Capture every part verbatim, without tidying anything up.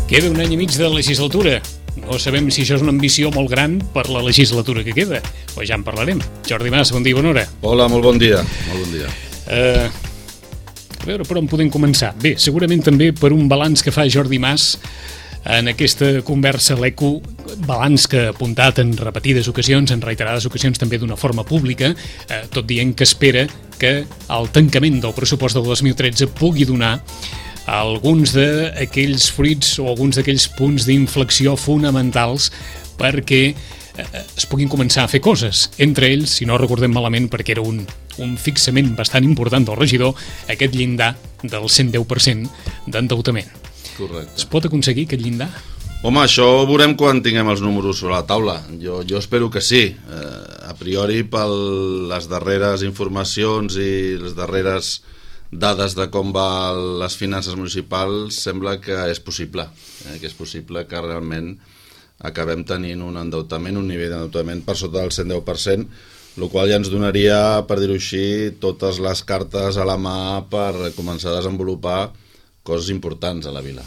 Queda un any i mig de legislatura. No sabem si això és una ambició molt gran per la legislatura que queda, però ja en parlarem. Jordi Mas, bon dia i bona hora. Hola, molt bon dia. Molt bon dia. Uh, a veure per on podem començar. Bé, segurament també per un balanç que fa Jordi Mas en aquesta conversa a l'Eco, balanç que ha apuntat en repetides ocasions, en reiterades ocasions també d'una forma pública, eh, tot dient que espera que el tancament del pressupost del dos mil tretze pugui donar alguns d'aquells fruits o alguns d'aquells punts d'inflexió fonamentals perquè eh, es puguin començar a fer coses. Entre ells, si no recordem malament, perquè era un, un fixament bastant important del regidor, aquest llindar del cent deu per cent d'endeutament. Correcte. Es pot aconseguir aquest llindar? Home, això ho veurem quan tinguem els números sobre la taula. Jo, jo espero que sí. Eh, a priori, per les darreres informacions i les darreres dades de com va les finances municipals, sembla que és possible, eh, que és possible que realment acabem tenint un endeutament, un nivell d'endeutament per sota del cent deu per cent, el qual ja ens donaria, per dir-ho així, totes les cartes a la mà per començar a desenvolupar coses importants a la vila.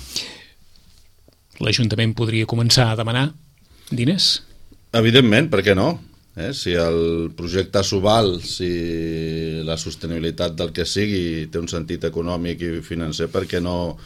L'Ajuntament podria començar a demanar diners? Evidentment, per què no? Eh? Si el projecte s'ho val, si la sostenibilitat del que sigui té un sentit econòmic i financer, per què no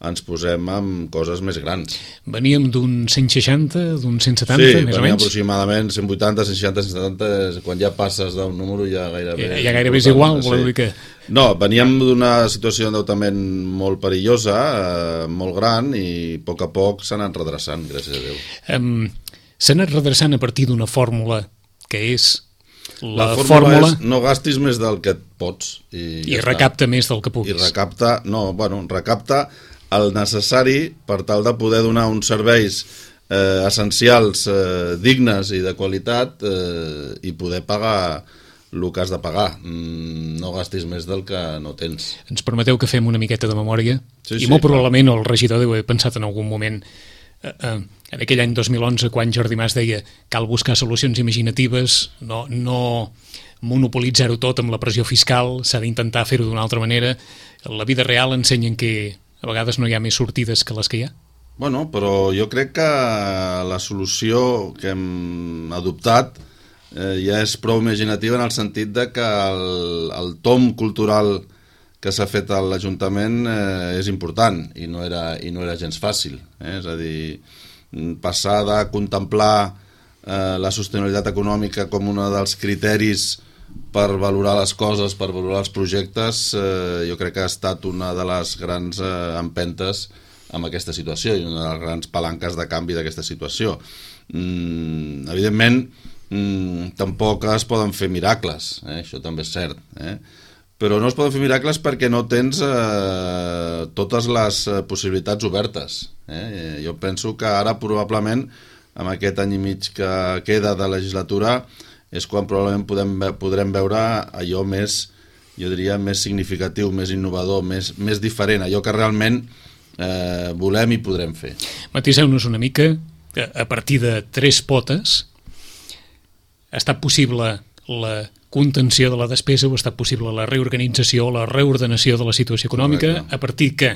ens posem amb coses més grans? Veníem d'un cent seixanta, d'un cent setanta, sí, més o menys? Sí, aproximadament cent vuitanta, cent seixanta, cent setanta, quan ja passes d'un número ja gairebé... Ja, ja gairebé és igual, sí. voleu dir que... No, veníem d'una situació d'endeutament molt perillosa, eh, molt gran, i a poc a poc s'ha anat redreçant, gràcies a Déu. Um, s'ha anat redreçant a partir d'una fòrmula que és la, la fórmula, fórmula... és no gastis més del que et pots. I, I ja recapta està. més del que puguis. I recapta, no, bueno, recapta el necessari per tal de poder donar uns serveis eh, essencials, eh, dignes i de qualitat eh, i poder pagar el que has de pagar. Mm, no gastis més del que no tens. Ens permeteu que fem una miqueta de memòria? Sí, I sí, molt clar. probablement el regidor deu haver pensat en algun moment eh, eh, en aquell any dos mil onze, quan Jordi Mas deia cal buscar solucions imaginatives, no, no monopolitzar-ho tot amb la pressió fiscal, s'ha d'intentar fer-ho d'una altra manera. La vida real ensenya que a vegades no hi ha més sortides que les que hi ha. Bueno, però jo crec que la solució que hem adoptat eh, ja és prou imaginativa en el sentit de que el, el tom cultural que s'ha fet a l'Ajuntament eh, és important i no era, i no era gens fàcil. Eh? És a dir, passar de contemplar eh, la sostenibilitat econòmica com un dels criteris per valorar les coses, per valorar els projectes, eh, jo crec que ha estat una de les grans eh, empentes amb aquesta situació i una de les grans palanques de canvi d'aquesta situació. Mm, evidentment, mm, tampoc es poden fer miracles, eh? Això també és cert, eh? Però no es poden fer miracles perquè no tens eh, totes les eh, possibilitats obertes. Eh? Jo penso que ara probablement, amb aquest any i mig que queda de legislatura, és quan probablement podem, podrem veure allò més, jo diria, més significatiu, més innovador, més, més diferent, allò que realment eh, volem i podrem fer. Matiseu-nos una mica, a partir de tres potes, ha estat possible la contenció de la despesa o ha estat possible la reorganització o la reordenació de la situació econòmica. Correcte. A partir que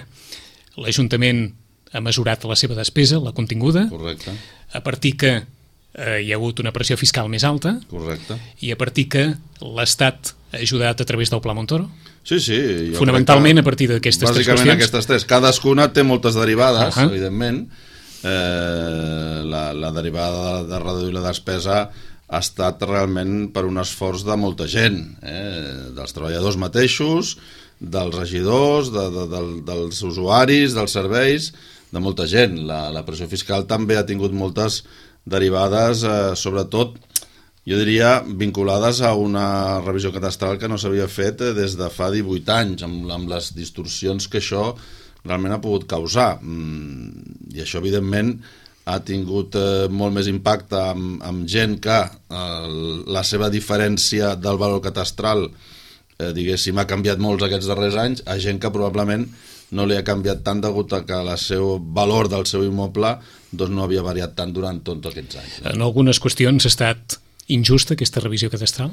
l'Ajuntament ha mesurat la seva despesa, la continguda. Correcte. A partir que eh, hi ha hagut una pressió fiscal més alta. Correcte. I a partir que l'Estat ha ajudat a través del Pla Montoro. Sí, sí. Fonamentalment a partir d'aquestes tres qüestions. Bàsicament aquestes tres. Cadascuna té moltes derivades, uh-huh. evidentment. Eh, la, la derivada de reduir la despesa ha estat realment per un esforç de molta gent, eh? Dels treballadors mateixos, dels regidors, de, de, de, dels usuaris, dels serveis, de molta gent. La, la pressió fiscal també ha tingut moltes derivades, eh, sobretot, jo diria, vinculades a una revisió catastral que no s'havia fet eh, des de fa divuit anys, amb, amb les distorsions que això realment ha pogut causar. Mm, I això, evidentment, ha tingut eh, molt més impacte amb, amb gent que eh, la seva diferència del valor catastral eh, diguéssim ha canviat molts aquests darrers anys, a gent que probablement no li ha canviat tant degut a que el seu valor del seu immoble doncs no havia variat tant durant tots aquests anys. En algunes qüestions ha estat injusta aquesta revisió catastral?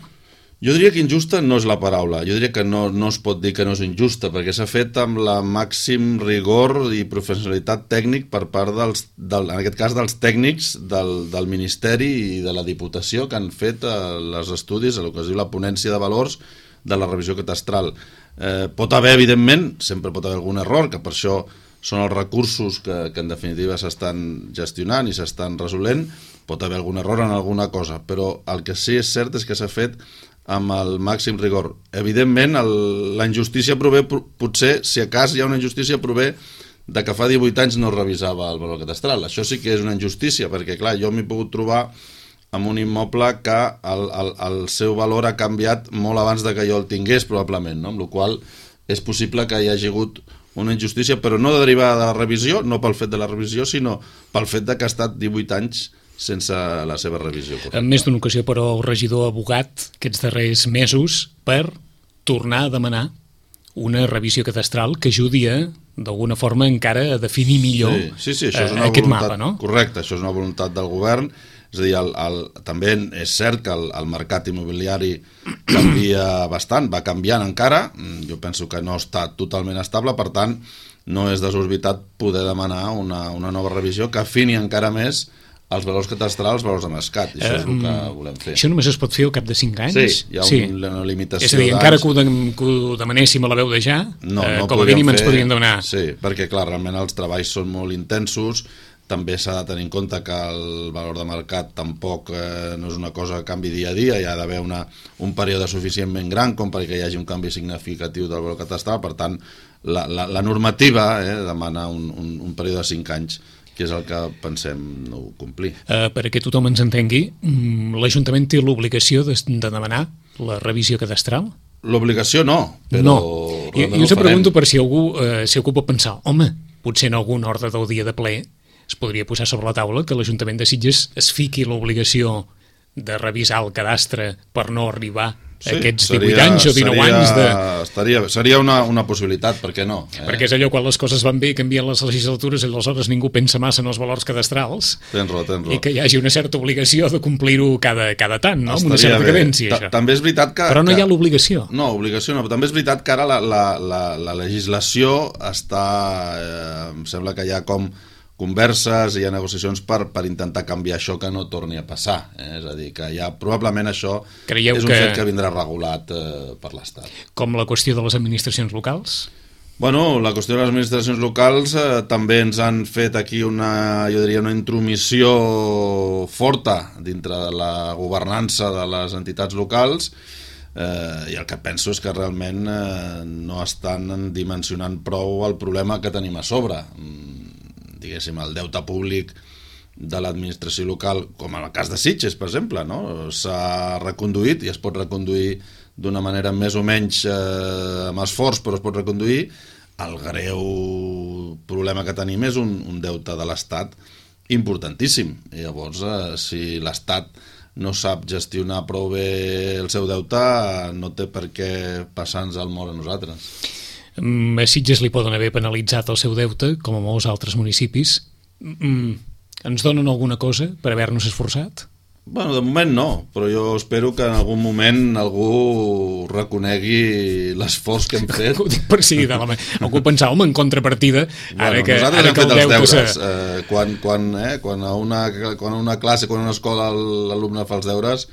Jo diria que injusta no és la paraula, jo diria que no, no es pot dir que no és injusta, perquè s'ha fet amb la màxim rigor i professionalitat tècnic per part dels, del, en aquest cas dels tècnics del, del Ministeri i de la Diputació que han fet eh, els estudis, el que es diu la ponència de valors de la revisió catastral. Eh, pot haver, evidentment, sempre pot haver algun error, que per això són els recursos que, que en definitiva s'estan gestionant i s'estan resolent, pot haver algun error en alguna cosa, però el que sí és cert és que s'ha fet amb el màxim rigor. Evidentment, el, la injustícia prové, potser, si a cas hi ha una injustícia, prové de que fa divuit anys no revisava el valor catastral. Això sí que és una injustícia, perquè, clar, jo m'he pogut trobar amb un immoble que el, el, el seu valor ha canviat molt abans de que jo el tingués, probablement, no? Amb la qual cosa és possible que hi hagi hagut una injustícia, però no derivada de la revisió, no pel fet de la revisió, sinó pel fet de que ha estat divuit anys sense la seva revisió correcta. En més d'una ocasió, però, el regidor ha abogat aquests darrers mesos per tornar a demanar una revisió catastral que ajudi a, d'alguna forma, encara a definir millor sí, sí, sí, això és una aquest voluntat, mapa, no? Correcte, això és una voluntat del govern. És a dir, el, el, també és cert que el, el mercat immobiliari canvia bastant, va canviant encara, jo penso que no està totalment estable, per tant, no és desorbitat poder demanar una, una nova revisió que afini encara més els valors catastrals, els valors de mercat, i això és el que volem fer. Això només es pot fer al cap de cinc anys? Sí, hi ha sí. una, una limitació d'anys. És a dir, encara que ho, de, que ho demanéssim a la veu de ja, no, eh, no com a mínim fer... ens podrien demanar. Sí, perquè clar, realment els treballs són molt intensos, també s'ha de tenir en compte que el valor de mercat tampoc eh, no és una cosa que canvi dia a dia, hi ha d'haver una, un període suficientment gran com perquè hi hagi un canvi significatiu del valor catastral, per tant, la, la, la normativa eh, demana un, un, un període de cinc anys, que és el que pensem no complir. Uh, perquè tothom ens entengui, l'Ajuntament té l'obligació de, de demanar la revisió cadastral? L'obligació no, però... No, jo, jo us pregunto per si algú, uh, si algú pot pensar, home, potser en algun ordre del dia de ple es podria posar sobre la taula que l'Ajuntament de Sitges es fiqui l'obligació de revisar el cadastre per no arribar sí, aquests divuit seria, anys o dinou seria, anys de... Estaria, seria una, una possibilitat, per què no? Eh? Perquè és allò, quan les coses van bé, canvien les legislatures i aleshores ningú pensa massa en els valors cadastrals. Tens raó, tens raó. I que hi hagi una certa obligació de complir-ho cada, cada tant, no? Amb una certa cadència, això. També és veritat que... Però no que... hi ha l'obligació. No, obligació no, però també és veritat que ara la, la, la, la legislació està... Eh, em sembla que hi ha com converses i hi ha negociacions per, per intentar canviar això que no torni a passar. Eh? És a dir, que ja probablement això Creieu és un que... fet que vindrà regulat eh, per l'Estat. Com la qüestió de les administracions locals? Bueno, la qüestió de les administracions locals eh, també ens han fet aquí una, jo diria, una intromissió forta dintre de la governança de les entitats locals eh, i el que penso és que realment eh, no estan dimensionant prou el problema que tenim a sobre. Diguéssim, el deute públic de l'administració local, com en el cas de Sitges, per exemple, no? S'ha reconduït i es pot reconduir d'una manera més o menys eh, amb esforç, però es pot reconduir. El greu problema que tenim és un, un deute de l'Estat importantíssim. I llavors, eh, si l'Estat no sap gestionar prou bé el seu deute, no té per què passar-nos el mort a nosaltres. A Sitges li poden haver penalitzat el seu deute, com a molts altres municipis. Mm, ens donen alguna cosa per haver-nos esforçat? Bueno, de moment no, però jo espero que en algun moment algú reconegui l'esforç que hem fet. Ho dic per si, de la... algú pensava, home, en contrapartida, ara bueno, que, nosaltres ara hem que fet el els deute... deures. Eh, quan, quan, eh, quan, a una, quan a una classe, quan a una escola l'alumne fa els deures,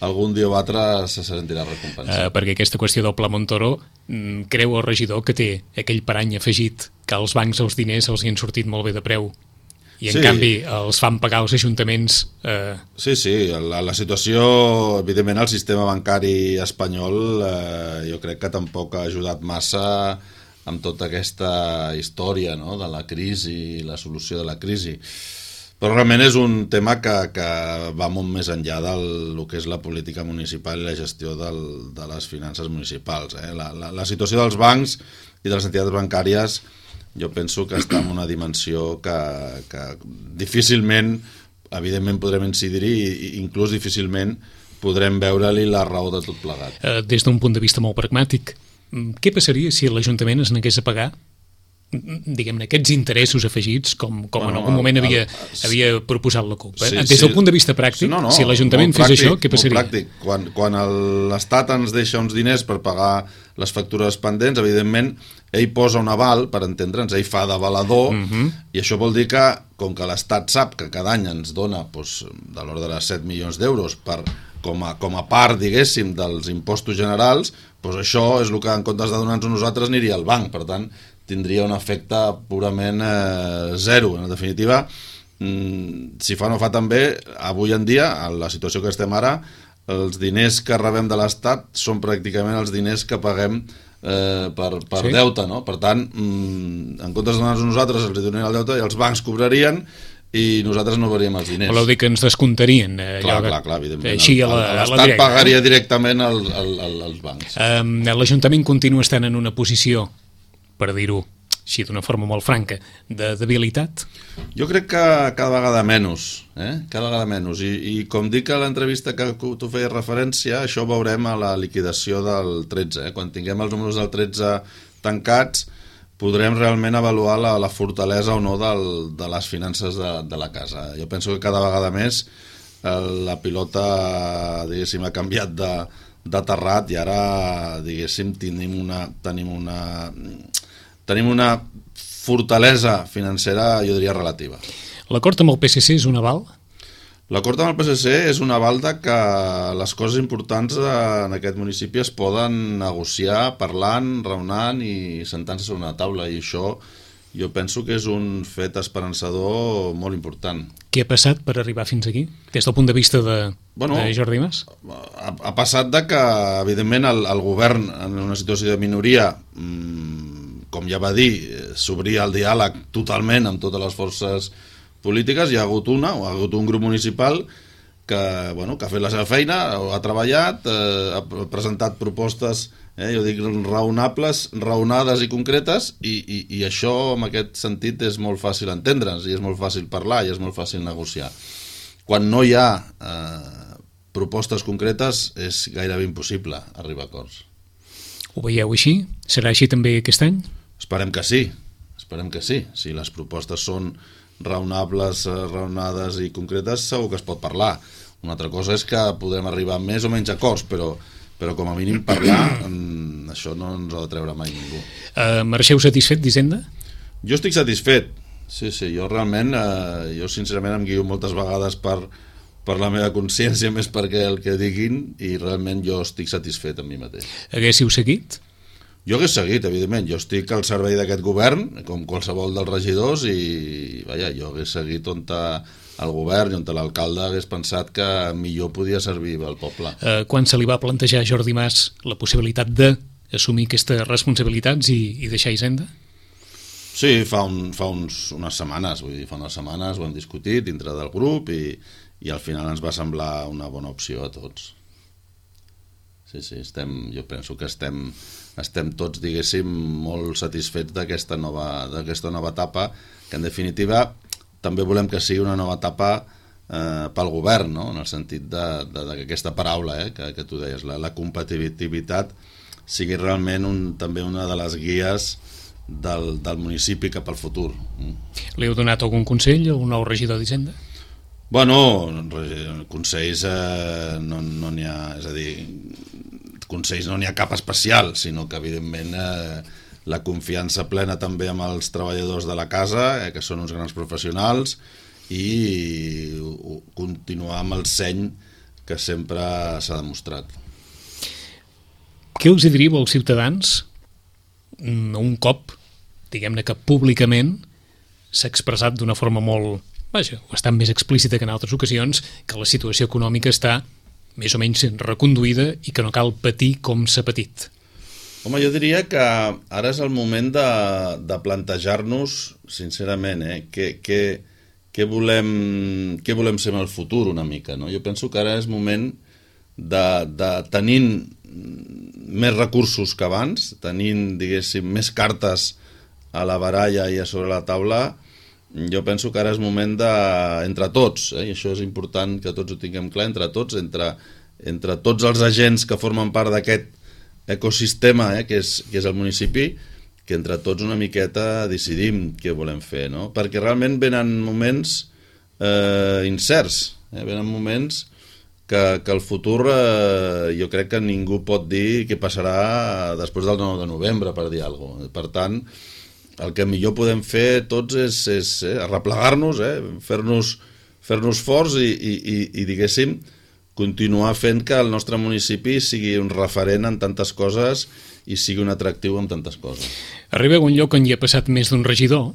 algun dia o altre se sentirà recompensat. Uh, perquè aquesta qüestió del Pla Montoro mm, creu el regidor que té aquell parany afegit que als bancs els diners els hi han sortit molt bé de preu i en sí. canvi els fan pagar els ajuntaments. Uh... Sí, sí, la, la situació, evidentment el sistema bancari espanyol eh, jo crec que tampoc ha ajudat massa amb tota aquesta història, no?, de la crisi i la solució de la crisi. Però realment és un tema que, que va molt més enllà del que és la política municipal i la gestió del, de les finances municipals. Eh? La, la, la situació dels bancs i de les entitats bancàries jo penso que està en una dimensió que, que difícilment, evidentment podrem incidir-hi i inclús difícilment podrem veure-li la raó de tot plegat. Des d'un punt de vista molt pragmàtic, què passaria si l'Ajuntament es negués a pagar diguem-ne, aquests interessos afegits com, com Bueno, en algun moment el- havia, el- havia proposat la CUP. Eh? Sí, Des del sí. punt de vista pràctic, Sí, no, no, si l'Ajuntament molt fes pràctic, això, què passaria? molt pràctic. Quan, quan el- l'Estat ens deixa uns diners per pagar les factures pendents, evidentment, ell posa un aval, per entendre'ns, ell fa d'avalador, Mhm. uh -huh. i això vol dir que, com que l'Estat sap que cada any ens dona doncs, de l'ordre de set milions d'euros per, com, a, com a part, diguéssim, dels impostos generals, doncs això és el que en comptes de donar-nos a nosaltres aniria al banc, per tant, tindria un efecte purament eh, zero. En definitiva, mm, si fa no fa també, avui en dia, en la situació que estem ara, els diners que rebem de l'Estat són pràcticament els diners que paguem eh, per, per Sí. deute, no? Per tant, mm, en comptes de donar-nos a nosaltres, els donarien el deute i els bancs cobrarien i nosaltres no veuríem els diners. Voleu dir que ens descomptarien? Eh, Clar, allò que- clar, clar, evidentment. Així a El- la- a la l'Estat directa, pagaria eh? directament al, al, al, als bancs. Eh, L'Ajuntament continua estant en una posició, per dir-ho així d'una forma molt franca, de debilitat? Jo crec que cada vegada menys, eh? cada vegada menys. I, i com dic a l'entrevista que tu feies referència, això ho veurem a la liquidació del tretze. Eh? Quan tinguem els números del tretze tancats, podrem realment avaluar la, la fortalesa o no del, de les finances de, de la casa. Jo penso que cada vegada més eh, la pilota, diguéssim, ha canviat de, de terrat i ara, diguéssim, tenim una... Tenim una tenim una fortalesa financera, jo diria, relativa. L'acord amb el P S C és un aval? L'acord amb el P S C és un aval de que les coses importants en aquest municipi es poden negociar parlant, raonant i sentant-se sobre una taula, i això jo penso que és un fet esperançador molt important. Què ha passat per arribar fins aquí, des del punt de vista de, Bueno, de Jordi Mas? Ha, ha passat de que, evidentment, el, el govern, en una situació de minoria, mmm, com ja va dir, s'obria el diàleg totalment amb totes les forces polítiques. Hi ha hagut una, o ha hagut un grup municipal que, bueno, que ha fet la seva feina, ha treballat, eh, ha presentat propostes, eh, jo dic, raonables, raonades i concretes, i, i, i això, en aquest sentit, és molt fàcil entendre'ns, i és molt fàcil parlar, i és molt fàcil negociar. Quan no hi ha eh, propostes concretes, és gairebé impossible arribar a acords. Ho veieu així? Serà així també aquest any? Esperem que sí, esperem que sí. Si les propostes són raonables, raonades i concretes, segur que es pot parlar. Una altra cosa és que podem arribar a més o menys acords, però, però com a mínim parlar, això no ens ha de treure mai ningú. Uh, marxeu satisfet d'Hisenda? Jo estic satisfet, sí, sí, jo realment, eh, jo sincerament em guio moltes vegades per, per la meva consciència més perquè el que diguin, i realment jo estic satisfet amb mi mateix. Haguéssiu seguit? Jo hagués seguit, evidentment. Jo estic al servei d'aquest govern, com qualsevol dels regidors, i vaja, jo hagués seguit on el govern i on l'alcalde hagués pensat que millor podia servir al poble. Uh, quan se li va plantejar a Jordi Mas la possibilitat d'assumir aquestes responsabilitats i, i deixar Hisenda? Sí, fa, un, fa uns, unes setmanes, vull dir, fa unes setmanes ho hem discutit dintre del grup i, i al final ens va semblar una bona opció a tots. Sí, sí, estem, jo penso que estem, estem tots, diguéssim, molt satisfets d'aquesta nova, d'aquesta nova etapa, que en definitiva també volem que sigui una nova etapa eh, pel govern, no? En el sentit d'aquesta paraula eh, que, que tu deies, la, la competitivitat sigui realment un, també una de les guies del, del municipi cap al futur. Li heu donat algun consell al nou regidor d'Hisenda? Bueno, consells eh, no no n'hi ha, és a dir, consells no n'hi ha cap especial, sinó que evidentment eh, la confiança plena també amb els treballadors de la casa, eh, que són uns grans professionals, i uh, continuar amb el seny que sempre s'ha demostrat. Què us hi diríeu als ciutadans un cop, diguem-ne que públicament s'ha expressat d'una forma molt, vaja, bastant més explícita que en altres ocasions, que la situació econòmica està més o menys reconduïda i que no cal patir com s'ha patit? Home, jo diria que ara és el moment de, de plantejar-nos, sincerament, eh, què, què, què, volem, què volem ser en el futur una mica, no? Jo penso que ara és moment de, de tenint més recursos que abans, tenint, diguéssim, més cartes a la baralla i a sobre la taula, jo penso que ara és moment de, entre tots, eh, i això és important que tots ho tinguem clar, entre tots, entre, entre tots els agents que formen part d'aquest ecosistema eh, que, és, que és el municipi, que entre tots una miqueta decidim què volem fer, no? Perquè realment venen moments eh, incerts, eh? Venen moments que, que el futur eh, jo crec que ningú pot dir què passarà després del nou de novembre, per dir alguna cosa. Per tant, el que millor podem fer tots és, és eh, arreplegar-nos, eh? fer-nos fer-nos forts i, i, i, i diguéssim, continuar fent que el nostre municipi sigui un referent en tantes coses i sigui un atractiu en tantes coses. Arriba a un lloc on hi ha passat més d'un regidor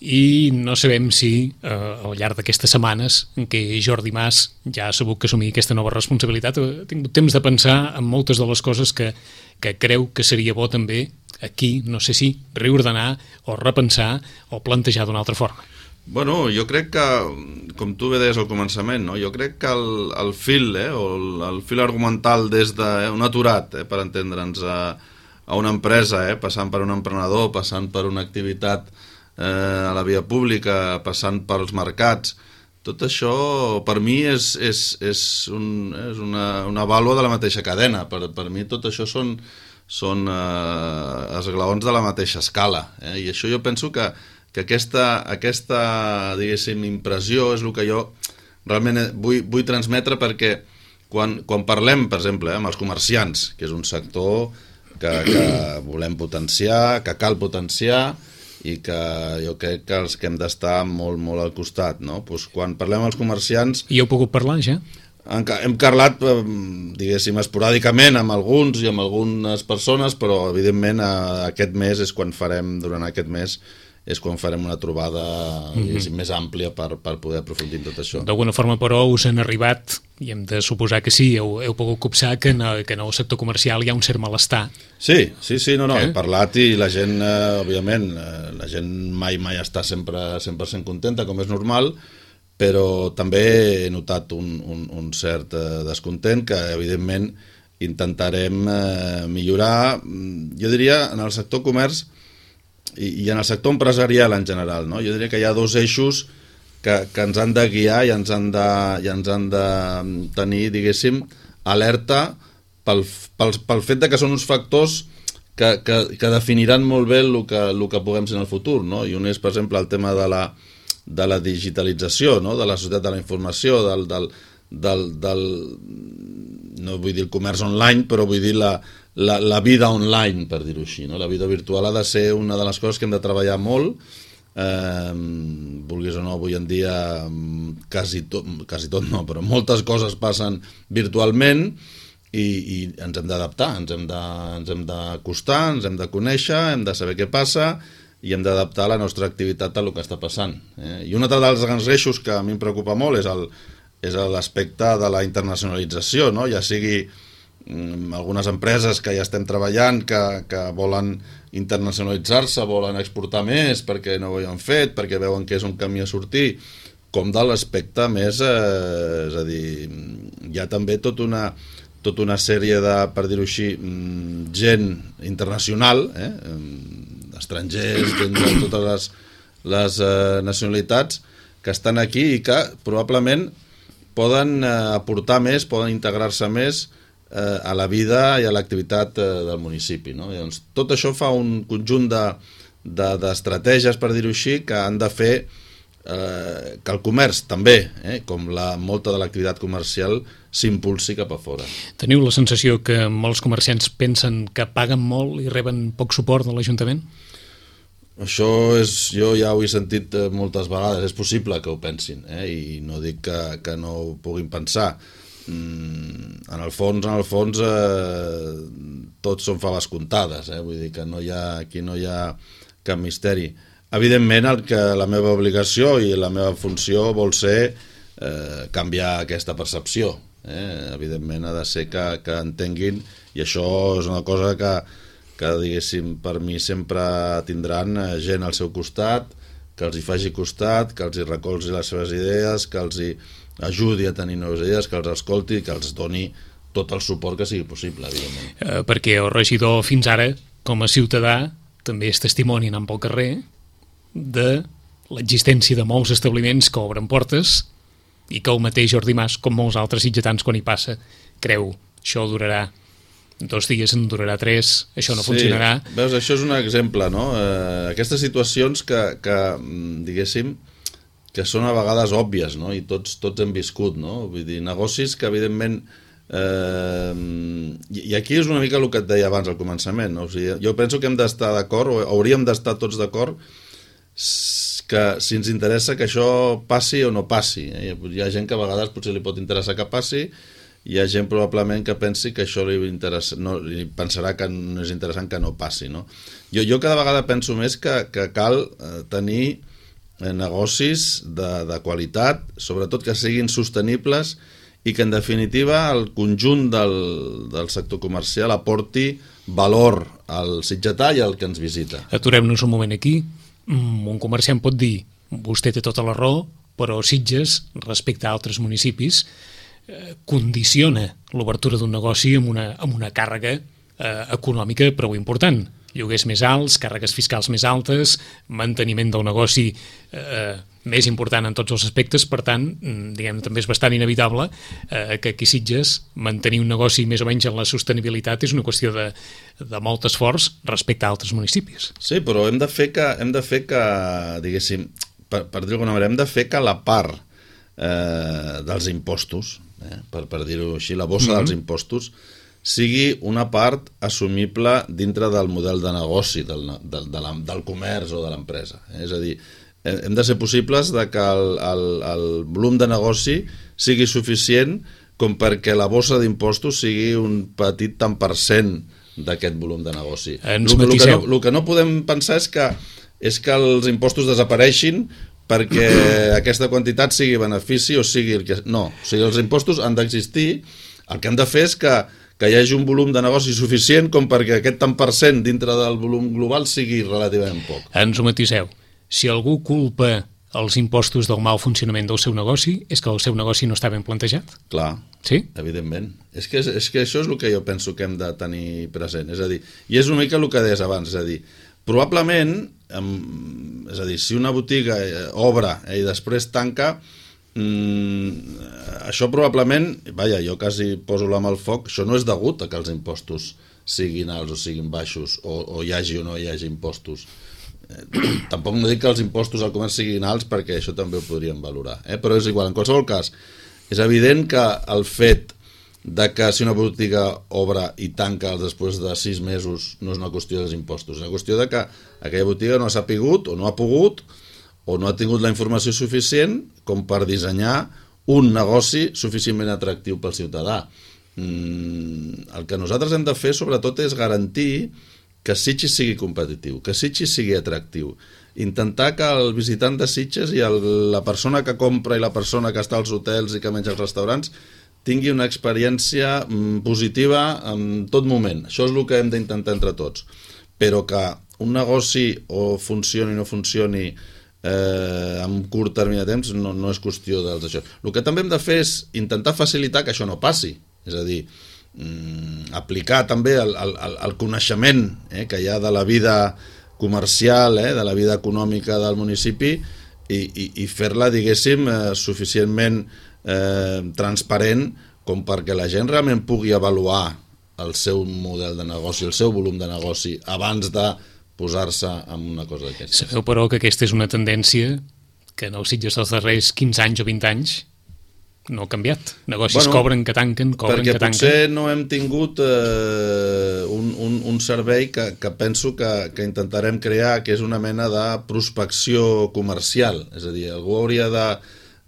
i no sabem si eh, al llarg d'aquestes setmanes en què Jordi Mas ja ha sabut que assumir aquesta nova responsabilitat ha tingut temps de pensar en moltes de les coses que, que creu que seria bo també aquí, no sé si, reordenar o repensar o plantejar d'una altra forma. Bueno, jo crec que, com tu bé deies al començament, no? Jo crec que el, el fil, eh, o el, el fil argumental des d'un aturat, eh, per entendre'ns, a, a una empresa, eh, passant per un emprenedor, passant per una activitat eh, a la via pública, passant pels mercats, tot això per mi és, és, és, un, és una, una vàlua de la mateixa cadena. Per, per mi tot això són, són eh, esglaons de la mateixa escala, eh? I això jo penso que que aquesta, aquesta diguéssim, impressió és el que jo realment vull, vull transmetre, perquè quan, quan parlem, per exemple, eh, amb els comerciants, que és un sector que, que volem potenciar, que cal potenciar i que jo crec que els que hem d'estar molt, molt al costat, no? Pues quan parlem amb els comerciants... I heu pogut parlar, ja? Hem parlat, diguéssim, esporàdicament amb alguns i amb algunes persones, però evidentment aquest mes és quan farem, durant aquest mes, és quan farem una trobada mm-hmm. més àmplia per, per poder aprofundir en tot això. D'alguna forma, però, us han arribat, i hem de suposar que sí, heu, heu pogut copsar que en, que en el sector comercial hi ha un cert malestar. Sí, sí, sí, no, no, eh? he parlat i la gent, eh, òbviament, eh, la gent mai, mai està sempre cent per cent contenta, com és normal, però també he notat un, un, un cert eh, descontent que, evidentment, intentarem eh, millorar, jo diria, en el sector comerç i en el sector empresarial en general, no? Jo diria que hi ha dos eixos que, que ens han de guiar i ens han de, i ens han de tenir, diguéssim, alerta pel, pel, pel fet de que són uns factors que, que, que definiran molt bé el que, el que puguem ser en el futur, no? I un és, per exemple, el tema de la, de la digitalització, no? De la societat de la informació, del, del, del, del, no vull dir el comerç online, però vull dir la La, la vida online, per dir-ho així, no? La vida virtual ha de ser una de les coses que hem de treballar molt, eh, vulguis o no, avui en dia quasi tot, quasi tot no, però moltes coses passen virtualment i, i ens hem d'adaptar, ens hem de, ens hem d'acostar, ens hem de conèixer, hem de saber què passa i hem d'adaptar la nostra activitat a el que està passant. Eh? I un altre dels grans eixos que a mi em preocupa molt és el, és l'aspecte de la internacionalització, no? Ja sigui algunes empreses que ja estem treballant que, que volen internacionalitzar-se, volen exportar més perquè no ho han fet, perquè veuen que és un camí a sortir, com de l'aspecte més, eh, és a dir, hi ha també tot una, tota una sèrie de, per dir-ho així, gent internacional, eh, estrangers, gent de totes les, les eh, nacionalitats que estan aquí i que probablement poden eh, aportar més, poden integrar-se més a la vida i a l'activitat del municipi, no? I doncs, tot això fa un conjunt de, de, d'estratègies, per dir-ho així, que han de fer eh, que el comerç també, eh, com la, molta de l'activitat comercial, s'impulsi cap a fora. Teniu la sensació que molts comerciants pensen que paguen molt i reben poc suport de l'Ajuntament? Això és, jo ja ho he sentit moltes vegades, és possible que ho pensin, eh, i no dic que, que no ho puguin pensar. En el fons, en el fons eh, tots són faves comptades, eh? Vull dir que no hi ha, aquí no hi ha cap misteri. Evidentment, el que la meva obligació i la meva funció vol ser eh, canviar aquesta percepció. Eh? Evidentment ha de ser que, que entenguin, i això és una cosa que, que diguéssim, per mi sempre tindran gent al seu costat, que els hi faci costat, que els hi recolzi les seves idees, que els hi ajudi a tenir noves idees, que els escolti i que els doni tot el suport que sigui possible, evidentment. Eh, perquè el regidor fins ara, com a ciutadà, també és testimoni anant pel carrer de l'existència de molts establiments que obren portes i que el mateix Jordi Mas, com molts altres sitgetans quan hi passa, creu això durarà dos dies en durarà tres, això no sí, funcionarà. Veus, això és un exemple, no? Eh, aquestes situacions que, que, diguéssim, que són a vegades òbvies, no? I tots, tots hem viscut, no? Vull dir, negocis que, evidentment, eh, i aquí és una mica el que et deia abans al començament, no? O sigui, jo penso que hem d'estar d'acord, o hauríem d'estar tots d'acord, que si ens interessa que això passi o no passi. Eh? Hi ha gent que a vegades potser li pot interessar que passi, hi ha gent probablement que pensi que això li, interessa, no, li pensarà que no és interessant que no passi. No? Jo, jo cada vegada penso més que, que cal eh, tenir eh, negocis de, de qualitat, sobretot que siguin sostenibles i que en definitiva el conjunt del, del sector comercial aporti valor al sitgetà i al que ens visita. Aturem-nos un moment aquí. Un comerciant pot dir, vostè té tota la raó, però Sitges, respecte a altres municipis, eh, condiciona l'obertura d'un negoci amb una, amb una càrrega eh, econòmica prou important. Lloguers més alts, càrregues fiscals més altes, manteniment del negoci eh, més important en tots els aspectes, per tant, diguem, també és bastant inevitable eh, que aquí Sitges mantenir un negoci més o menys en la sostenibilitat és una qüestió de, de molt esforç respecte a altres municipis. Sí, però hem de fer que, hem de fer que diguéssim, per, per dir-ho d'alguna manera, hem de fer que la part eh, dels impostos, eh, per, per dir-ho així, la bossa mm-hmm. dels impostos, sigui una part assumible dintre del model de negoci del, del, de la, del comerç o de l'empresa. Eh? És a dir, hem de ser possibles de que el, el, el volum de negoci sigui suficient com perquè la bossa d'impostos sigui un petit tant per cent d'aquest volum de negoci. Ens el, matiseu. El que, no, el que no podem pensar és que, és que els impostos desapareixin perquè aquesta quantitat sigui benefici o sigui el que... No, o sigui, els impostos han d'existir, el que hem de fer és que que hi hagi un volum de negoci suficient com perquè aquest tant per cent dintre del volum global sigui relativament poc. Ens ho matiseu. Si algú culpa els impostos del mal funcionament del seu negoci, és que el seu negoci no està ben plantejat? Clar, sí? Evidentment. És que, és que això és el que jo penso que hem de tenir present. És a dir, i és una mica el que deies abans, és a dir, probablement, és a dir, si una botiga obre i després tanca, Mm, això probablement, vaja, jo quasi poso la mà al foc, això no és degut a que els impostos siguin alts o siguin baixos, o, o hi hagi o no hi hagi impostos. Eh, tampoc no dic que els impostos al comerç siguin alts, perquè això també ho podríem valorar, eh? Però és igual, en qualsevol cas, és evident que el fet de que si una botiga obre i tanca després de sis mesos no és una qüestió dels impostos, és una qüestió de que aquella botiga no ha sapigut o no ha pogut o no ha tingut la informació suficient com per dissenyar un negoci suficientment atractiu pel ciutadà. Mm, el que nosaltres hem de fer, sobretot, és garantir que Sitges sigui competitiu, que Sitges sigui atractiu. Intentar que el visitant de Sitges i el, la persona que compra i la persona que està als hotels i que menja als restaurants tingui una experiència mm, positiva en tot moment. Això és el que hem d'intentar entre tots. Però que un negoci o funcioni o no funcioni Eh, amb curt termini de temps no, no és qüestió dels això. El que també hem de fer és intentar facilitar que això no passi, és a dir, mm, aplicar també el, el, el coneixement eh, que hi ha de la vida comercial, eh, de la vida econòmica del municipi i, i, i fer-la, diguéssim, eh, suficientment eh, transparent com perquè la gent realment pugui avaluar el seu model de negoci, el seu volum de negoci abans de posar-se en una cosa d'aquestes. Sabeu, però, que aquesta és una tendència que en els Sitges dels darrers quinze anys o vint anys no ha canviat. Negocis bueno, cobren que tanquen, cobren que tanquen. Perquè potser no hem tingut eh, un, un, un servei que, que penso que, que intentarem crear, que és una mena de prospecció comercial. És a dir, algú hauria de,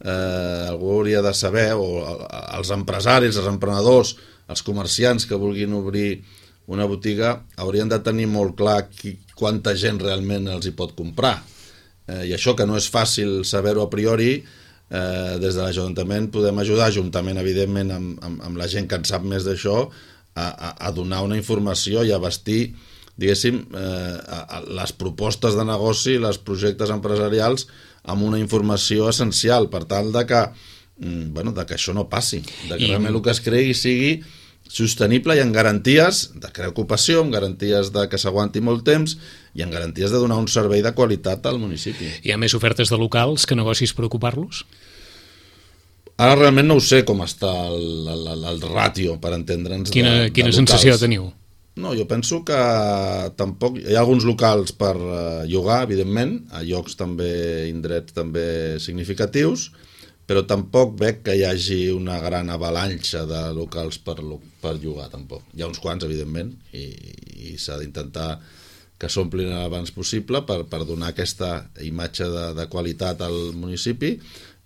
eh, algú hauria de saber, o els empresaris, els emprenedors, els comerciants que vulguin obrir una botiga haurien de tenir molt clar qui, quanta gent realment els hi pot comprar. Eh, I això, que no és fàcil saber-ho a priori, eh, des de l'Ajuntament podem ajudar, juntament, evidentment, amb, amb, amb la gent que en sap més d'això, a, a, a donar una informació i a vestir, diguéssim, eh, a, a les propostes de negoci, les projectes empresarials, amb una informació essencial, per tal de que, mm, bueno, de que això no passi, de que I... realment el que es cregui sigui sostenible i amb garanties de crear ocupació, amb garanties de que s'aguanti molt temps i amb garanties de donar un servei de qualitat al municipi. Hi ha més ofertes de locals que negocis per ocupar-los? Ara realment no ho sé com està el, el, el ràtio, per entendre'ns, quina, de, de quina locals. sensació teniu? No, jo penso que tampoc... Hi ha alguns locals per uh, llogar, evidentment, a llocs també, indrets també significatius, però tampoc veig que hi hagi una gran avalanxa de locals per, per llogar, tampoc. Hi ha uns quants, evidentment, i, i s'ha d'intentar que s'omplin abans possible per, per donar aquesta imatge de, de qualitat al municipi,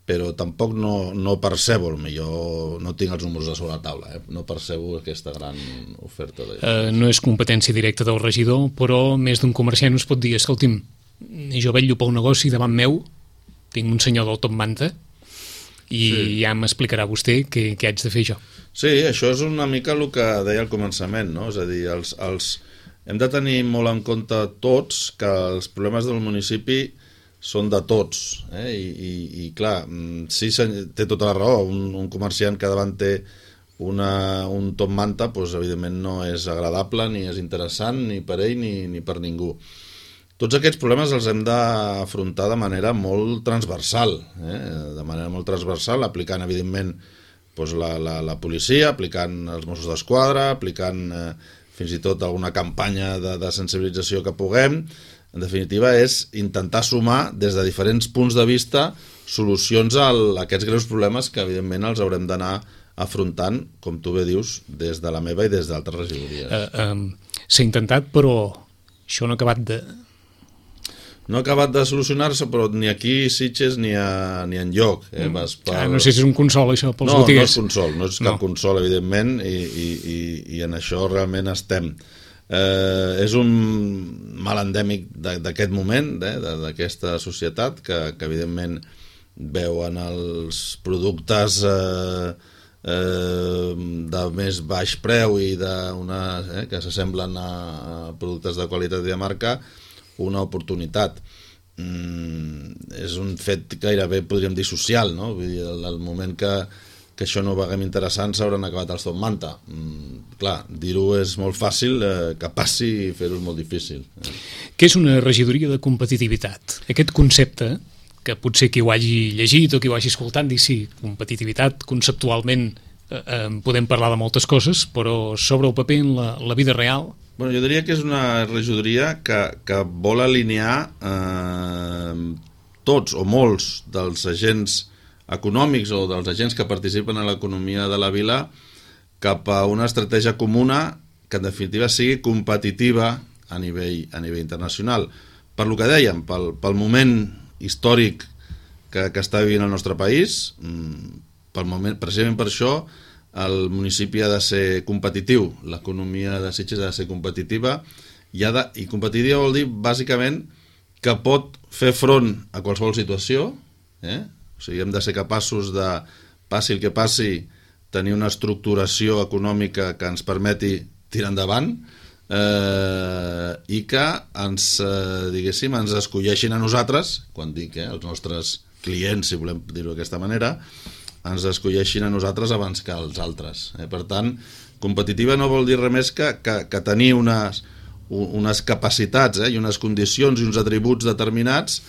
però tampoc no, no percebo, millor no tinc els números a sobre la taula, eh? No percebo aquesta gran oferta. De... Uh, no és competència directa del regidor, però més d'un comerciant us pot dir, escolti'm, jo vetllo pel negoci davant meu, tinc un senyor del top manta, i sí. ja m'explicarà vostè què, què haig de fer jo. Sí, això és una mica el que deia al començament, no? És a dir, els, els... hem de tenir molt en compte tots que els problemes del municipi són de tots, eh? I, i, i clar, sí, té tota la raó, un, un comerciant que davant té una, un top manta, doncs, evidentment no és agradable, ni és interessant, ni per ell ni, ni per ningú. Tots aquests problemes els hem d'afrontar de manera molt transversal, eh? de manera molt transversal, aplicant, evidentment, doncs, la, la, la policia, aplicant els Mossos d'Esquadra, aplicant eh, fins i tot alguna campanya de, de sensibilització que puguem. En definitiva, és intentar sumar des de diferents punts de vista solucions a aquests greus problemes que, evidentment, els haurem d'anar afrontant, com tu bé dius, des de la meva i des d'altres regidories. Uh, um, S'ha intentat, però això no ha acabat de... No ha acabat de solucionar-se, però ni aquí, Sitges, ni, a, ni enlloc. Eh? Vas per... ah, no sé si és un consol, això, pels no, botiguers. No, no és consol, no és cap no. consol, evidentment, i, i, i, i en això realment estem... Eh, és un mal endèmic d'aquest moment, eh, d'aquesta societat, que, que evidentment veuen els productes eh, eh, de més baix preu i de una, eh, que s'assemblen a productes de qualitat i de marca, una oportunitat. Mm, és un fet gairebé, podríem dir, social, no? Vull dir, el, el moment que que això no ho veiem interessant, s'hauran acabat els top manta. Mm, clar, dir-ho és molt fàcil, eh, que passi i fer-ho és molt difícil. Eh. Què és una regidoria de competitivitat? Aquest concepte, que potser qui ho hagi llegit o qui ho hagi escoltat, dir sí, competitivitat, conceptualment eh, eh, podem parlar de moltes coses, però sobre el paper en la, la vida real... Bueno, jo diria que és una regidoria que, que vol alinear eh, tots o molts dels agents econòmics o dels agents que participen en l'economia de la vila cap a una estratègia comuna que en definitiva sigui competitiva a nivell, a nivell internacional. Per lo que dèiem, pel, pel moment històric que, que està vivint el nostre país, pel moment, precisament per això el municipi ha de ser competitiu, l'economia de Sitges ha de ser competitiva i, ha de, i competitiva vol dir bàsicament que pot fer front a qualsevol situació, eh? O sigui, hem de ser capaços de, passi el que passi, tenir una estructuració econòmica que ens permeti tirar endavant eh, i que ens, eh, diguéssim, ens escolleixin a nosaltres, quan dic, eh, els nostres clients, si volem dir-ho d'aquesta manera, ens escolleixin a nosaltres abans que als altres. Eh? Per tant, competitiva no vol dir res més que, que, que tenir unes, unes capacitats eh, i unes condicions i uns atributs determinats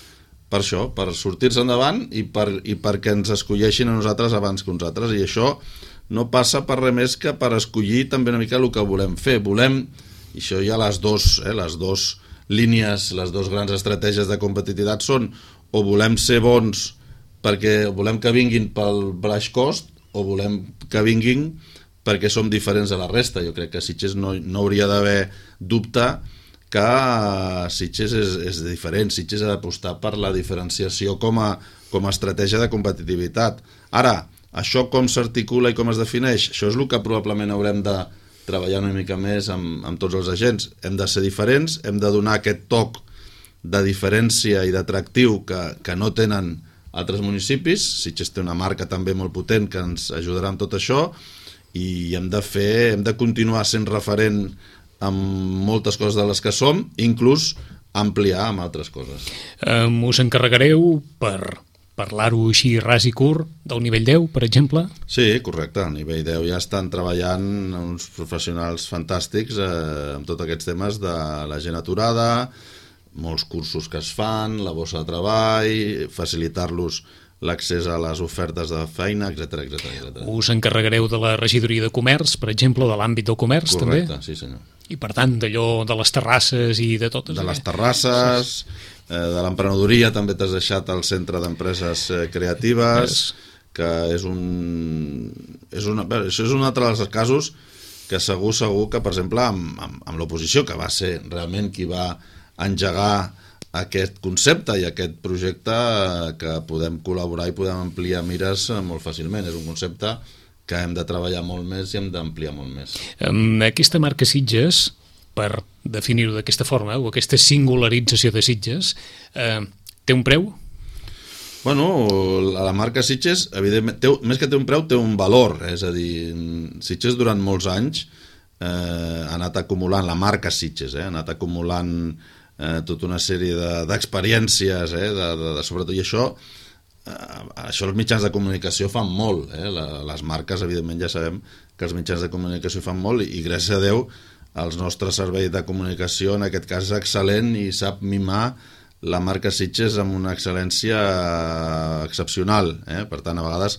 per això, per sortir-se endavant i, per, i perquè ens escolleixin a nosaltres abans que uns altres, i això no passa per res més que per escollir també una mica el que volem fer. Volem, i això hi ha les dos, eh, les dos línies, les dues grans estratègies de competitivitat són o volem ser bons perquè volem que vinguin pel baix cost o volem que vinguin perquè som diferents de la resta. Jo crec que Sitges no, no hauria d'haver dubte que Sitges és, és diferent. Sitges ha d'apostar per la diferenciació com a, com a estratègia de competitivitat. Ara, això com s'articula i com es defineix, això és el que probablement haurem de treballar una mica més amb, amb tots els agents. Hem de ser diferents, hem de donar aquest toc de diferència i d'atractiu que, que no tenen altres municipis. Sitges té una marca també molt potent que ens ajudarà amb tot això i hem de fer, hem de continuar sent referent amb moltes coses de les que som, inclús ampliar amb altres coses. Um, us encarregareu per parlar-ho així ras i curt del nivell deu, per exemple? Sí, correcte. Al nivell deu ja estan treballant uns professionals fantàstics eh, amb tots aquests temes de la gent aturada, molts cursos que es fan, la bossa de treball, facilitar-los l'accés a les ofertes de feina, etcètera, etcètera. Us encarregareu de la regidoria de comerç, per exemple, de l'àmbit del comerç, Correcte, també? Correcte, sí senyor. I per tant, d'allò de les terrasses i de totes... De les terrasses, eh, de l'emprenedoria, també t'has deixat el Centre d'Empreses eh, Creatives, yes. que és un... És una, bé, això és un altre dels casos que segur, segur que, per exemple, amb, amb, amb l'oposició, que va ser realment qui va engegar aquest concepte i aquest projecte, que podem col·laborar i podem ampliar mires molt fàcilment. És un concepte que hem de treballar molt més i hem d'ampliar molt més. Aquesta marca Sitges, per definir-ho d'aquesta forma, o aquesta singularització de Sitges, eh, té un preu? Bueno, la marca Sitges, evidentment, té, més que té un preu, té un valor. És a dir, Sitges durant molts anys eh, ha anat acumulant, la marca Sitges, eh, ha anat acumulant eh, tota una sèrie d'experiències, de, eh, de, de, de, sobretot, i això, eh, això els mitjans de comunicació fan molt. Eh, la, les marques, evidentment, ja sabem que els mitjans de comunicació fan molt, i, i gràcies a Déu, el nostre servei de comunicació, en aquest cas, és excel·lent i sap mimar la marca Sitges amb una excel·lència excepcional, eh? Per tant, a vegades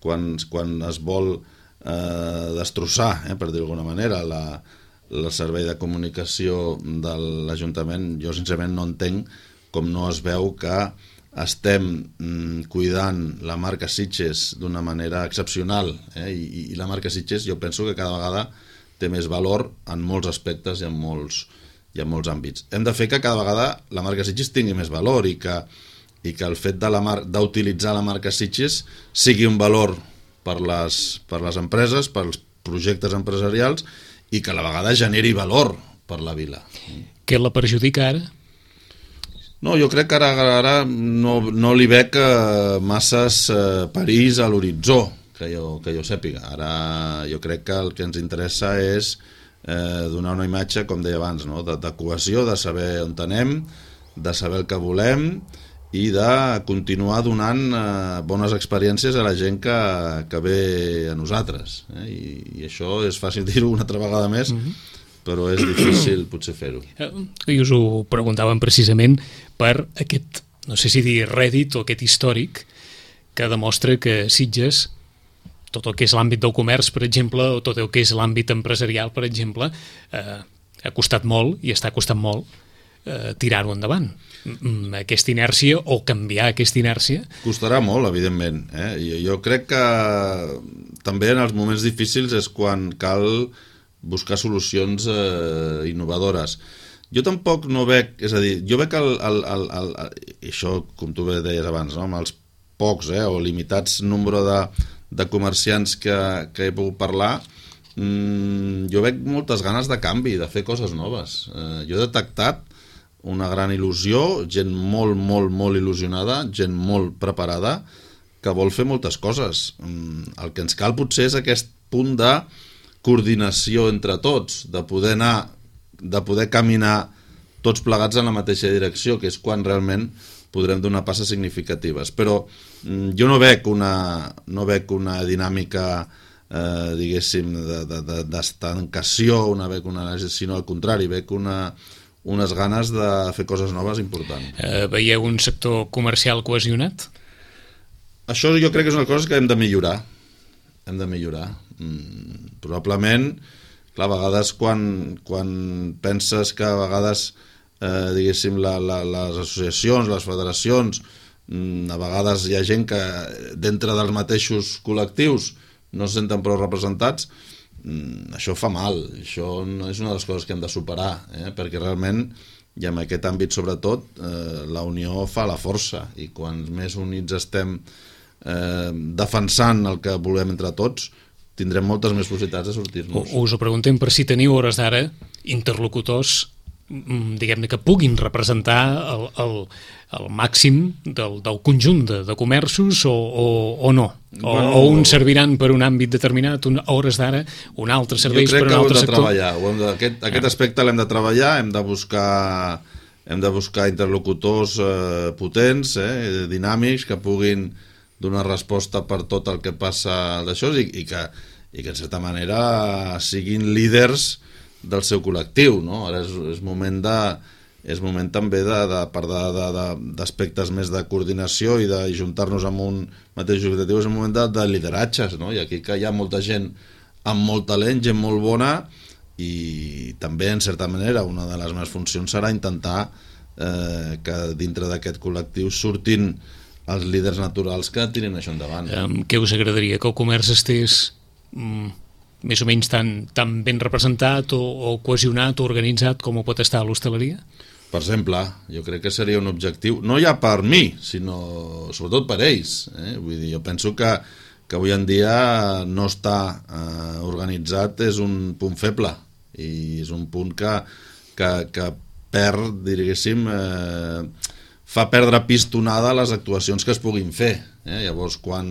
quan, quan es vol eh, destrossar, eh, per dir-ho d'alguna manera, la, el servei de comunicació de l'Ajuntament, jo sincerament no entenc com no es veu que estem mm, cuidant la marca Sitges d'una manera excepcional, eh? I, i la marca Sitges jo penso que cada vegada té més valor en molts aspectes i en molts hi ha molts àmbits. Hem de fer que cada vegada la marca Sitges tingui més valor i que, i que el fet de la mar, d'utilitzar la marca Sitges sigui un valor per les, per les empreses, pels projectes empresarials, i que a la vegada generi valor per la vila. Què la perjudica ara? No, jo crec que ara, ara no, no li veig eh, masses eh, perills a l'horitzó, que jo, que jo sàpiga. Ara jo crec que el que ens interessa és Eh, donar una imatge, com deia abans, no? de, de cohesió, de saber on anem, de saber el que volem i de continuar donant eh, bones experiències a la gent que, que ve a nosaltres. Eh? I, I això és fàcil dir-ho una altra vegada més, mm-hmm. però és difícil potser fer-ho. I us ho preguntàvem precisament per aquest, no sé si dir rèdit o aquest històric que demostra que Sitges, tot el que és l'àmbit del comerç, per exemple, o tot el que és l'àmbit empresarial, per exemple, eh, ha costat molt, i està costant molt, eh, tirar-ho endavant. Aquesta inèrcia, o canviar aquesta inèrcia... Costarà molt, evidentment. Eh? Jo, jo crec que també en els moments difícils és quan cal buscar solucions eh, innovadores. Jo tampoc no veig... És a dir, jo veig el... el, el, el, el i això, com tu bé deies abans, no? Amb els pocs eh, o limitats nombre de... de comerciants que, que he pogut parlar, mmm, jo veig moltes ganes de canvi, de fer coses noves. Eh, jo he detectat una gran il·lusió, gent molt, molt, molt il·lusionada, gent molt preparada, que vol fer moltes coses. Mm, el que ens cal potser és aquest punt de coordinació entre tots, de poder anar, de poder caminar tots plegats en la mateixa direcció, que és quan realment podrem donar passes significatives. Però mm, jo no veig una, no veig una dinàmica, eh, diguéssim, d'estancació, de, de, una veig una, sinó al contrari, veig una, unes ganes de fer coses noves importants. Eh, veieu un sector comercial cohesionat? Això jo crec que és una cosa que hem de millorar. Hem de millorar. Mm, probablement, clar, a vegades quan, quan penses que a vegades... Eh, diguéssim, la, la, les associacions, les federacions, mm, a vegades hi ha gent que dintre dels mateixos col·lectius no se senten prou representats, mm, això fa mal, això no és una de les coses que hem de superar, eh? Perquè realment, i en aquest àmbit sobretot, eh, la unió fa la força, i quan més units estem eh, defensant el que volem entre tots, tindrem moltes més possibilitats de sortir-nos. Us ho preguntem per si teniu hores d'ara interlocutors, diguem-ne, que puguin representar el, el, el màxim del, del conjunt de, de comerços o, o, o no, o, bueno, o uns serviran per un àmbit determinat, un, a hores d'ara un altre serveix per un altre sector. Jo crec que ho hem de treballar, de, aquest, aquest aspecte l'hem de treballar, hem de buscar hem de buscar interlocutors eh, potents, eh, dinàmics, que puguin donar resposta per tot el que passa d'això i, i, que, i que en certa manera siguin líders del seu col·lectiu, no? Ara és, és moment de, és moment també de, de parlar de, de, d'aspectes més de coordinació i de juntar-nos amb un mateix objectiu, és un moment de, de lideratges, no? I aquí que hi ha molta gent amb molt talent, gent molt bona, i també, en certa manera, una de les meves funcions serà intentar eh, que dintre d'aquest col·lectiu surtin els líders naturals que tirin això endavant. Um, què us agradaria? Que el comerç estés mm, més o menys tan, tan ben representat o, o cohesionat o organitzat com ho pot estar a l'hostaleria? Per exemple, jo crec que seria un objectiu, no ja per mi, sinó sobretot per ells. Eh? Vull dir, jo penso que, que avui en dia no està eh, organitzat és un punt feble i és un punt que, que, que perd, diguéssim, eh, fa perdre pistonada les actuacions que es puguin fer. Eh? Llavors, quan,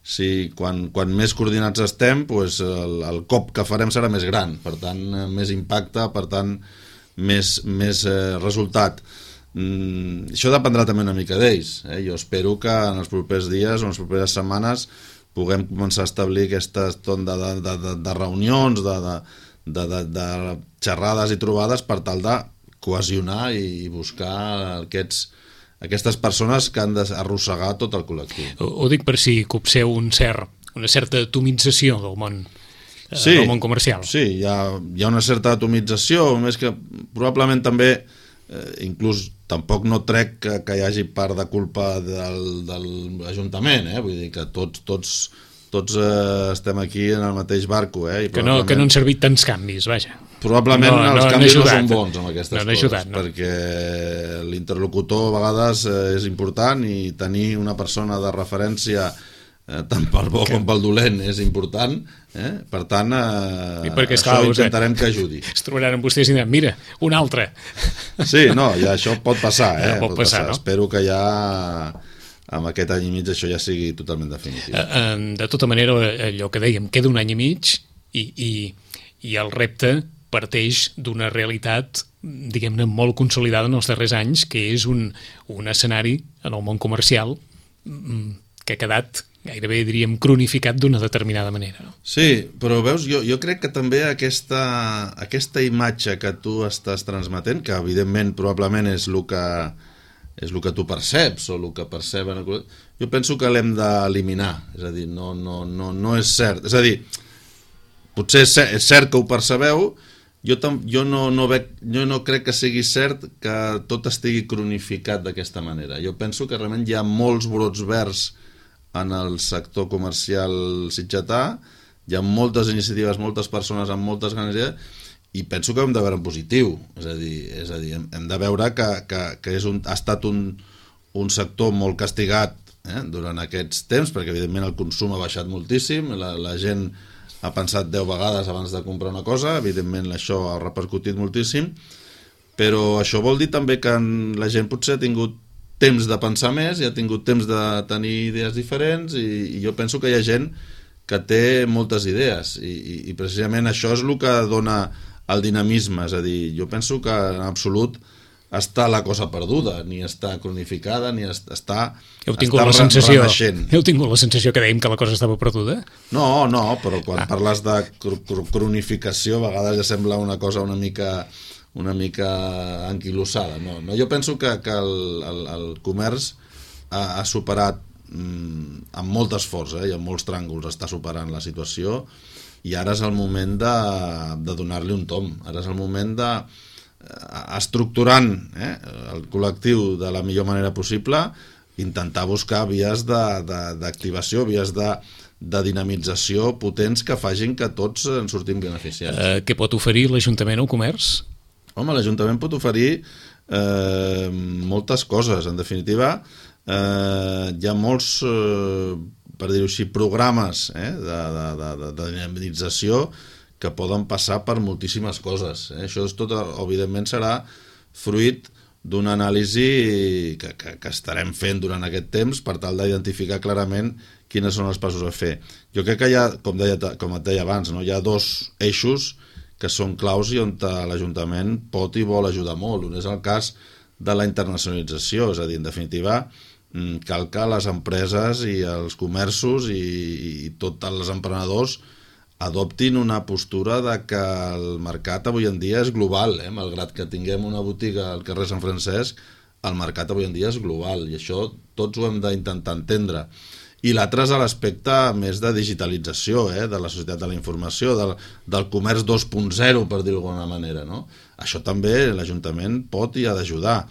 si, quan, quan més coordinats estem, pues el, el cop que farem serà més gran, per tant, més impacte, per tant, més, més eh, resultat. Mm, això dependrà també una mica d'ells. Eh? Jo espero que en els propers dies o en les properes setmanes puguem començar a establir aquestes ton de, de, de, de reunions, de, de, de, de, de xerrades i trobades per tal de cohesionar i buscar aquests, aquestes persones que han d'arrossegar tot el col·lectiu. Ho, ho dic per si copseu un cert, una certa atomització del món, sí, del món comercial. Sí, hi ha, hi ha una certa atomització, més que probablement també, eh, inclús tampoc no trec que, que hi hagi part de culpa del, de l'Ajuntament, eh? Vull dir que tots, tots, tots eh, estem aquí en el mateix barco. Eh? I que, no, que no han servit tants canvis, vaja. Probablement no, els no, canvis no, no són bons amb aquestes no, no coses, ajudat, no. Perquè l'interlocutor a vegades eh, és important i tenir una persona de referència eh, tant pel bo que... com pel dolent és important, eh? Per tant eh, perquè, això clar, intentarem que ajudi. Es trobaran amb vostès i diran, mira, un altre. Sí, no, ja això pot passar, eh? Ja pot pot passar, passar. No? Espero que ja amb aquest any i mig això ja sigui totalment definitiu. Eh, de tota manera, allò que dèiem, queda un any i mig i, i, i el repte parteix d'una realitat, diguem-ne, molt consolidada en els darrers anys, que és un, un escenari en el món comercial que ha quedat gairebé, diríem, cronificat d'una determinada manera. No? Sí, però veus, jo, jo crec que també aquesta, aquesta imatge que tu estàs transmetent, que evidentment probablement és el que, és el que tu perceps o el que perceben, jo penso que l'hem d'eliminar, és a dir, no, no, no, no és cert, és a dir, potser és cert, és cert que ho percebeu. Jo, tam, jo, no, no veig, jo no crec que sigui cert que tot estigui cronificat d'aquesta manera. Jo penso que realment hi ha molts brots verds en el sector comercial sitgetà, hi ha moltes iniciatives, moltes persones amb moltes ganes d'idees, i penso que hem de veure en positiu. És a dir, és a dir hem, hem de veure que, que, que és un, ha estat un, un sector molt castigat eh, durant aquests temps, perquè evidentment el consum ha baixat moltíssim, la, la gent ha pensat deu vegades abans de comprar una cosa, evidentment això ha repercutit moltíssim, però això vol dir també que la gent potser ha tingut temps de pensar més i ha tingut temps de tenir idees diferents i, i jo penso que hi ha gent que té moltes idees i, i, i precisament això és el que dona el dinamisme, és a dir, jo penso que en absolut està la cosa perduda, ni està cronificada, ni està, heu tingut està la sensació, renaixent. Heu tingut la sensació que dèiem que la cosa estava perduda? No, no, però quan ah. parles de cr cr cronificació a vegades ja sembla una cosa una mica, una mica anquilossada. No, no, jo penso que, que el, el, el comerç ha, ha superat mm, amb molt esforç eh, i amb molts tràngols està superant la situació i ara és el moment de, de donar-li un tom, ara és el moment de estructurant eh, el col·lectiu de la millor manera possible, intentar buscar vies d'activació, vies de, de dinamització potents que facin que tots en sortim beneficiats. Eh, què pot oferir l'Ajuntament al comerç? Home, l'Ajuntament pot oferir eh, moltes coses. En definitiva, eh, hi ha molts, eh, per dir-ho així, programes eh, de, de, de, de dinamització que poden passar per moltíssimes coses. Eh? Això és tot, evidentment, serà fruit d'una anàlisi que, que, que estarem fent durant aquest temps per tal d'identificar clarament quines són els passos a fer. Jo crec que hi ha, com, deia, com et deia abans, no? Hi ha dos eixos que són claus i on l'Ajuntament pot i vol ajudar molt. Un és el cas de la internacionalització, és a dir, en definitiva, cal que les empreses i els comerços i, i tots els emprenedors adoptin una postura de que el mercat avui en dia és global, eh? Malgrat que tinguem una botiga al carrer Sant Francesc, el mercat avui en dia és global, i això tots ho hem d'intentar entendre. I l'altre és l'aspecte més de digitalització, eh? De la societat de la informació, del, del comerç dos punt zero, per dir-ho d'alguna manera, no? Això també l'Ajuntament pot i ha d'ajudar.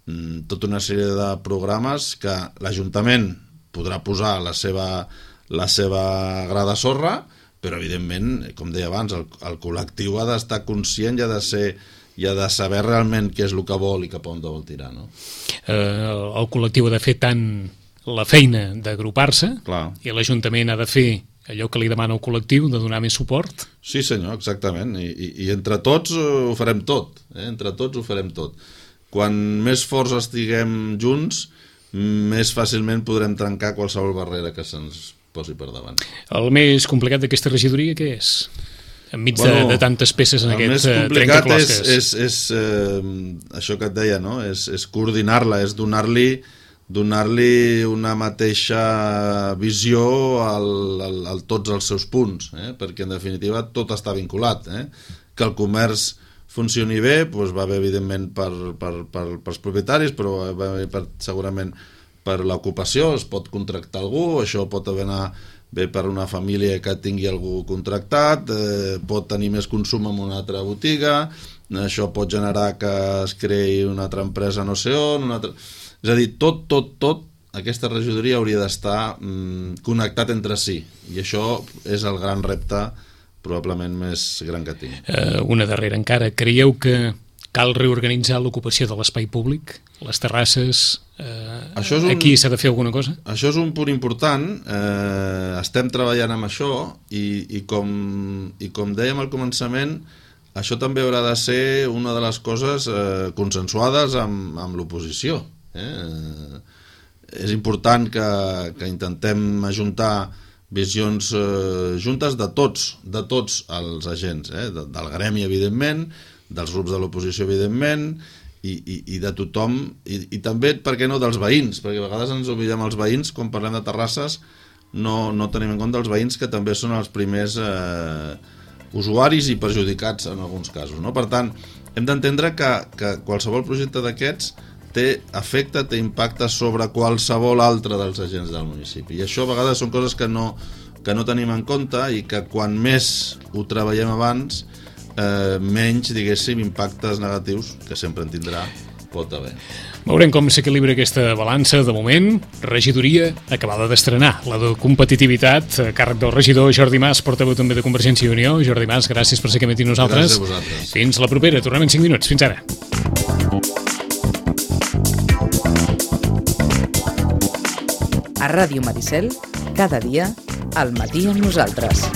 Mm, tota una sèrie de programes que l'Ajuntament podrà posar la seva, la seva gra de sorra, però evidentment, com deia abans, el, el col·lectiu ha d'estar conscient i ha de ser i ha de saber realment què és el que vol i cap on vol tirar, no? Eh, el col·lectiu ha de fer tant la feina d'agrupar-se, i l'Ajuntament ha de fer allò que li demana el col·lectiu, de donar més suport? Sí senyor, exactament, i, i, i entre tots ho farem tot, eh? Entre tots ho farem tot. Quan més forts estiguem junts, més fàcilment podrem trencar qualsevol barrera que se'ns posi per davant. El més complicat d'aquesta regidoria què és? Enmig bueno, de, de tantes peces en aquest trencaclosques. El més complicat és, és, és eh, això que et deia, no? És, és coordinar-la, és donar-li donar-li una mateixa visió al, al, al tots els seus punts, eh? Perquè en definitiva tot està vinculat, eh? Que el comerç funcioni bé, doncs va bé evidentment per, per, per, pels propietaris, però va bé per, segurament per l'ocupació, es pot contractar algú, això pot anar bé per una família que tingui algú contractat, eh, pot tenir més consum en una altra botiga, això pot generar que es creï una altra empresa no sé on, una altra... és a dir, tot, tot, tot, aquesta regidoria hauria d'estar mm, connectat entre si, i això és el gran repte probablement més gran que tinc. Uh, una darrera encara, creieu que cal reorganitzar l'ocupació de l'espai públic? Les terrasses, eh, un, aquí s'ha de fer alguna cosa? Això és un punt important, eh, estem treballant amb això i, i, com, i com dèiem al començament, això també haurà de ser una de les coses eh, consensuades amb, amb l'oposició. Eh? És important que, que intentem ajuntar visions eh, juntes de tots, de tots els agents, eh? de, del gremi evidentment, dels grups de l'oposició evidentment, i, i, i de tothom, i, i també, per què no, dels veïns, perquè a vegades ens oblidem els veïns, quan parlem de terrasses, no, no tenim en compte els veïns que també són els primers eh, usuaris i perjudicats en alguns casos, no? Per tant, hem d'entendre que, que qualsevol projecte d'aquests té efecte, té impacte sobre qualsevol altre dels agents del municipi, i això a vegades són coses que no, que no tenim en compte i que quan més ho treballem abans, Eh, menys, diguéssim, impactes negatius, que sempre en tindrà, pot haver. Veurem com s'equilibra aquesta balança. De moment, regidoria acabada d'estrenar, la de competitivitat, a càrrec del regidor Jordi Mas, portaveu també de Convergència i Unió. Jordi Mas, gràcies per ser aquí amb nosaltres. Gràcies a vosaltres. Fins la propera, tornem en cinc minuts. Fins ara. A Ràdio Maricel, cada dia, al matí amb nosaltres.